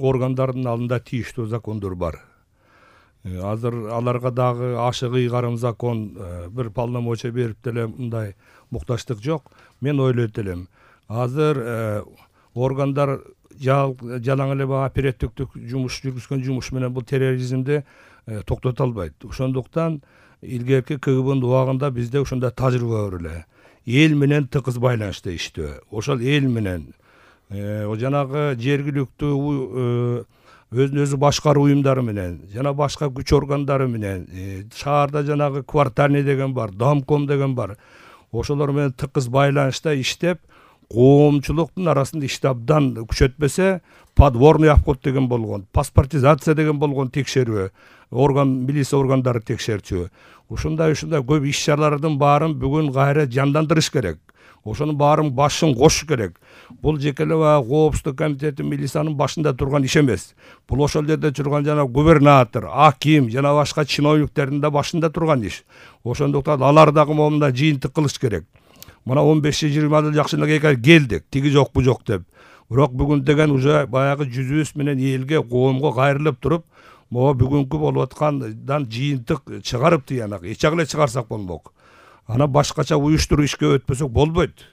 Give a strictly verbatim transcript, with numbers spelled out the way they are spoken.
органдардын алдында тийиштүү закондор бар. Азыр аларга дагы ашык ыйгарым закон бир полномочия берип деле мындай мукташтык жок. Мен ойлойт элем, азыр органдар жалаң эле баягы оперативдик жумуш жүргүзгөн жумуш менен бул терроризмди токтото албайт. Ошондуктан илгерки КГБнын убагында бизде ошондой тажрыйба бар эле. Эл менен тыгыз байланышта иштөө. Ошол эл менен жанагы жергиликтүү өзүн өзү башкаруу уюмдары менен жана башка күч органдары менен шаарда жанагы квартальный деген бар, домком деген бар. Ошолор менен тыгыз байланышта иштеп, коомчулуктун арасында ишти абдан күчөтпөсө, подворный обход деген болгон, паспортизация деген болгон текшерүү, орган милиция органдары текшерчү. Ушундай ушундай көп иш-чаралардын баарын бүгүн кайра жандандырыш керек. Ошонун баарын башын кошуш керек. Бул жеке эле коопсуздук комитети милициянын башында турган иш эмес. Бул ошол жерде турган жана губернатор, аким жана башка чиновниктердин да башында турган иш. Ошондуктан алар дагы момунда жыйынтык кылыш керек. Мына он беш жыйырма жыл жакшы эле келдик, тиги жок бу жок деп. Бирок бүгүн деген уже баягы жүзүбүз менен элге, коомго кайрылып туруп, могу бүгүнкү болуп аткандан жыйынтык чыгарып тыянак, эч жак эле чыгарсак болмок. Ана башкача уюштуруу ишке өтпөсөк болбойт.